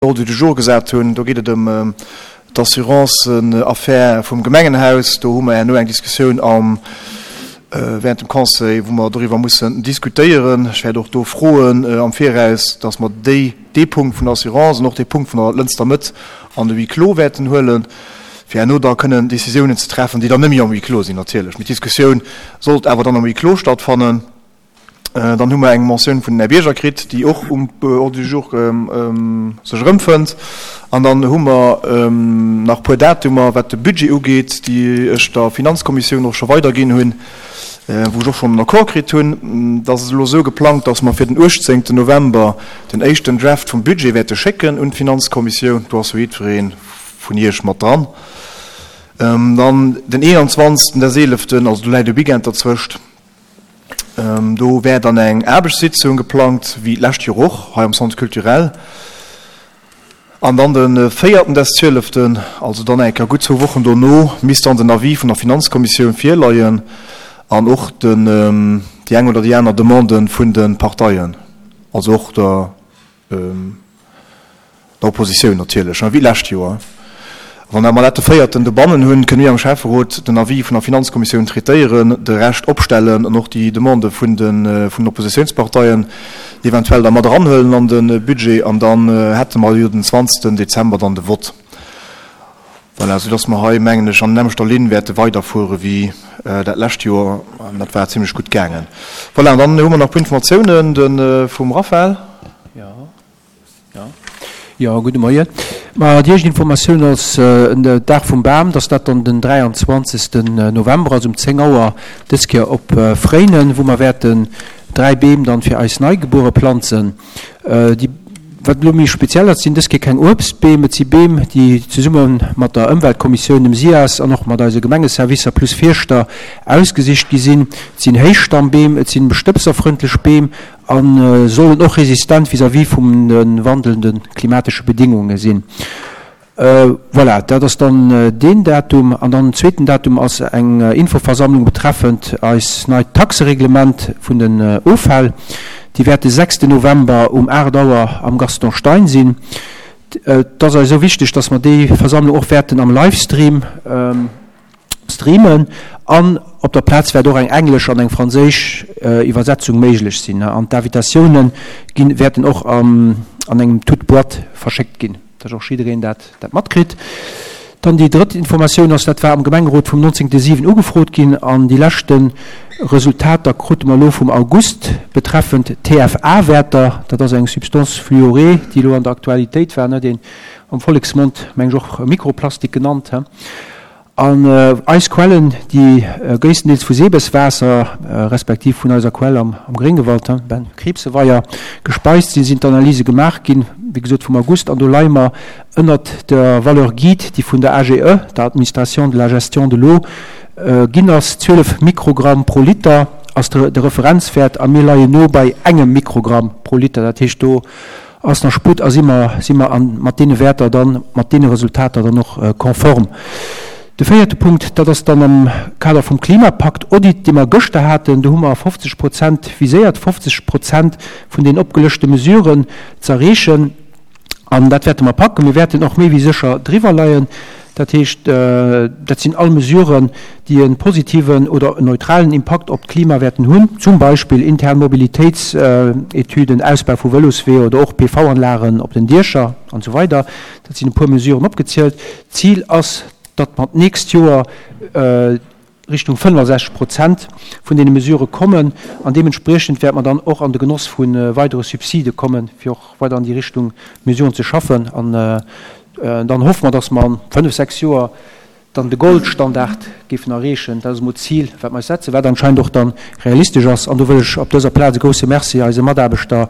Ordre du jour gesat hunn. Do geet et ëm d'Assurance-Affär vum Gemengenhaus. Do hu mer herno eng Diskussioun am, während dem Conseil, wou mer doriwwer mussen diskutéieren. Ech wäert och do froen am Viraus, dass mer déi, dee Punkt vun der Assurance an och dee Punkt vun der Lënster Mëtt an de Huis clos wäerten huelen, fir herno da kënnen Décisiounen ze treffen, déi dann net méi am Huis clos sinn natierlech. Mee d'Diskussioun sollt awer dann am Huis clos stattfannen. Dann hu mer eng Motioun vun den Här Bierger kritt, déi och um Ordre du jour sech erëmfënnt. An dann hu mer nach e puer Datumer, wat de Budget ugeet, déi ech der Finanzkommissioun och scho weiderginn hunn, wou ech och schonn en Accord kritt hunn. Et ass elo esou geplangt, dass mer fir den 18 November den éischten Draft vum Budget wäerte schécken un d'Finanzkommissioun. Do ass jo jiddweree vun Iech mat dran. Dann den 21. des Eeleften, also do läit e Weekend derzwëscht, Do wär dann eng Aarbechtssitzung geplangt, wéi d'lescht Joer och, hei am Centre culturel. An dann de véierten des zwieleften, also dann eng Kéier gutt zwou Wochen dono, misst dann den Avis vun der Finanzkommissioun virleien an och den, déi eng oder déi aner Demande vun de Parteien, also och der Der Oppositioun natierlech, wéi d'lescht Joer. Wann mer dat de véierten dobannen hunn, kënne mir am Schäfferot den Avis vun der Finanzkommissioun traitéieren, de Rescht opstellen an och déi Demandë vun den Oppositiounsparteien eventuell da mat eranhuelen an de Budget. An dann hätte mer jo den 20 Dezember dann de Vott. Voilà, soudass mer hei, mengen ech, an nämmlechter Linn wäerte weiderfuere wéi dat lescht Joer. An dat war zimlech gutt gaangen. Voilà, an dann hu mer nach e puer Informatiounen de vum Raphaël. Jo, jo. Jo, gudde Moien. Ma déi éischt Informatioun ass en Dag vum Bam, dass dat dann den 23. November ass um 10 Auer, dës Kéier op Fréinen, wou mer wäerten 3 Beem dann fir eis Neigebuere planzen. Déi, wat elo méi speziell ass, sinn dës Kéier keng Uebstbeem, et si Beem, déi zesumme mat der Ëmweltkommissioun, dem SIAS an och mat eise Gemengeservicer plus Fierschter ausgesicht gi sinn. Et sinn Héichstammbeem, et sinn bestëbserfrëndlech Beem a sollen och resistent vis-à-vis vun de wandelnde klimatesche Bedingunge sinn. Voilà, dat ass dann deen Datum. An dann den zweeten Datum ass eng Infoversammlung betreffend eis neit Taxereglement vun den Offäll. Déi wäert de sechsten November um 8 Auer am Gaston Stein sinn. Et ass eis esou wichteg, dass mer déi Versammlung och wäerten am Livestream streamen an op der Plaz wäert och eng englesch an eng franséisch Iwwersetzung méiglech sinn. An d'Invitatioune ginn, wäerten och an engem toute boîte verschéckt ginn. Dass och jiddereen dat dat matkritt. Dann déi drëtt Informatioun ass, dat war am Gemengerot vum 19. 7 ugefrot ginn an déi leschte Resultater krute mer elo vum August betreffend d'TFA-Wäerter. Dat ass eng Substance fluorée, déi elo an der Aktualitéit war, ne, deen am Volleksmond, meng ech, och Mikroplastik genannt. An eis Quellen, déi gréisstendeels vu Sebeswaasser, respektiv vun eiser Quell am Gréngewald, Ben, Kriibseweier, gespeist sinn, sinn d'Analyse gemaach ginn, wéi gesot vum August. An do leie mer ënnert der Valeur guide, déi vun der AGE, der Administration de la gestion de l'eau, ginn ass. 12 Mikrogramm pro Liter ass de Referenzwäert a mir leien no bei engem Mikrogramm pro Liter. Dat heescht, do Ass nach Sputt a si mer, si mer an, mat deene Wäerter dann, mat deene Resultater dann och konform. De véierte Punkt, dat ass dann am Kader vum Klimapakt-Audit, dee mer gëschter haten. Do hu mer 50 Prozent viséiert, 50 Prozent vun den opgelëschte Mesuren z'erreechen. An dat wäerte mer packen. Mir wäerten och méi wéi sécher driwwer leien. Dat heescht, dat sinn all Mesuren, déi e positiven oder en neutralen Impakt op d'Klima wäerten hunn, zum Beispill intern Mobilitéitsetüden, Ausbau vu Vëlosweeër oder och PV-Anlagen op den Diecher an esou weider. Dat sinn e puer Mesuren opgezielt. D'Zil ass, datt mer d'nächst Joer Richtung 65 Prozent vun deene Mesurë kommen an deementspriechend wäerte mer dann och an de Genoss vu weidere Subside kommen, fir och weider an déi Richtung Mesuren ze schaffen. An dann hoffe mer, dass mer an fënnf, sechs Joer dann de Goldstandard géifen erreechen. Dat ass emol d'Zil, wat mer eis setzen, wat anscheinend och dann realistesch ass. An do wëll ech op dëser Plaz e grousse Merci eise Mataarbechter,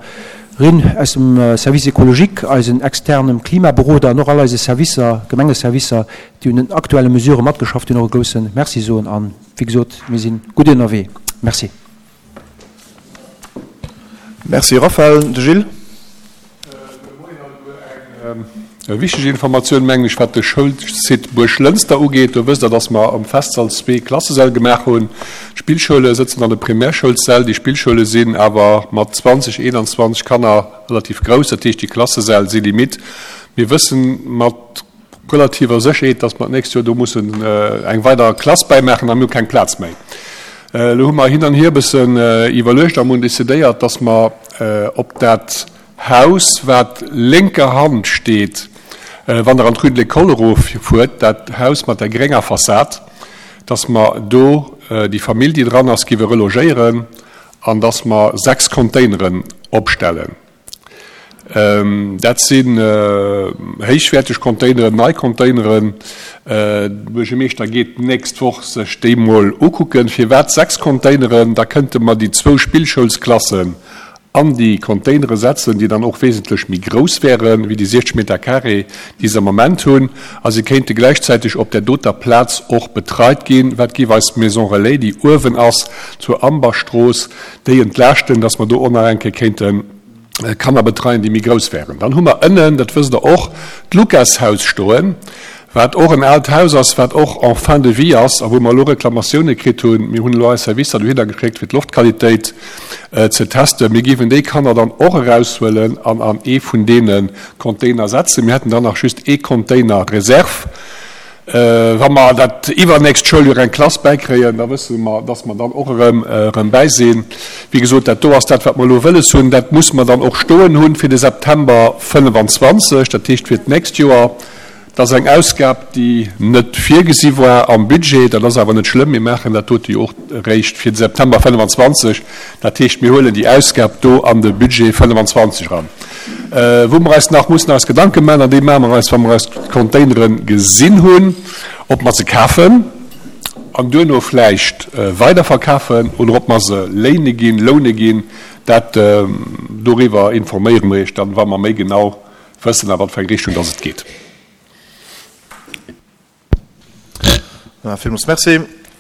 rin aus dem Service écologique, eisen externem Klimaberoder an och all eise Servicer, Gemengeservicer, déi un den aktuelle Mesurë matgeschafft hunn, och e grousse Merci soen. A wéi gesot, mir si gutt ënnerwee. Merci. Merci Raphaël. De Gilles. Gudde Moien alleguer. Eng wichteg Informatioun, mengen ech, wat de Schoulsite Buerglënster ugeet. Do wësst Der, dass mer am Festsall zwee Klassesäll gemaach hunn. D'Spillschoule sëtzen an de Primärschoulssäll. Déi Spillschoule sinn awer mat 20, 21 Kanner relativ grouss. Dat heescht, déi Klassesäll si limite. Mir wëssen mat relativer Sécherheet, dass mer d'nächst Joer do mussen eng weider Klass bäimaachen a mir hu keng Plaz méi. Elo hu mer hin an hier e bëssen iwwerluecht a mir hunn decidéiert, dass mer op dat Haus, wat lénker Hand steet, wann Der an d'Rue de l'École eroffuert, dat Haus mat der grénger Fassad, dass mer do déi Famill, déi dran ass, géiwe relogéieren an dass mer 6 Containeren opstellen. Dat sinn héichwäerteg Containeren, nei Containeren. De Buergermeeschter geet d'nächst Woch sech déi mol ukucken. Firwat 6 Containeren? Da kënnte mer déi zwou Spillschoulsklassen an déi Containere setzen, déi dann och wesentlech méi grouss wäre wéi déi 60 Meter carré, déi se am Moment hunn. A se kéinte gläichzäiteg op där doter Plaz och betreit ginn. Wat géif eis d'Maison Relais, déi uewen ass zur Amberstrooss, déi entlaaschten, dass mer do och nach eng Kéier kéinte Kanner betreien, déi méi grouss wären. Dann hu mer ënnen, dat wësst Der och, d'Lukashaus stoen, wat och en aalt Haus ass, wat och en fin de vie ass a wou mer elo Reklamatioune kritt hunn. Mir hunn elo eis Servicer dohinner geschéckt, fir d'Loftqualitéit ze testen. Mir géifen déi Kanner dann och eraushuelen an an ee vun deene Container setzen. Mir hätten dann nach just ee Container Reserve. Wa mer dat iwwernächst Schouljoer eng Klass bäikréien, da wësse mer, dass mer dann och erëm erëm bäi sinn. Wéi gesot, dat do ass dat, wat mer elo wëlles hunn. Dat musse mer dann och stoen hunn fir de September 25, dat heescht fir d'nächst Joer. Dat ass eng Ausgab, déi net virgesi war am Budget. Dat ass awer net schlëmm. Mir maachen dat dote jo och eréischt fir de September 25. Dat heescht, mir huelen déi Ausgab do an de Budget 25 eran. Wou mer eis nach mussen eis Gedanke maachen, an déi maache mer eis, wa mer eis d'Containere gesinn hunn, ob mer se kafen an duerno vläicht weiderverkafen oder ob mer se léine ginn, loune ginn, dat, doriwwer informéiere mer Iech dann, wa mer méi genau wëssen, a wat fir eng Richtung dass et geet. Villmools Merci.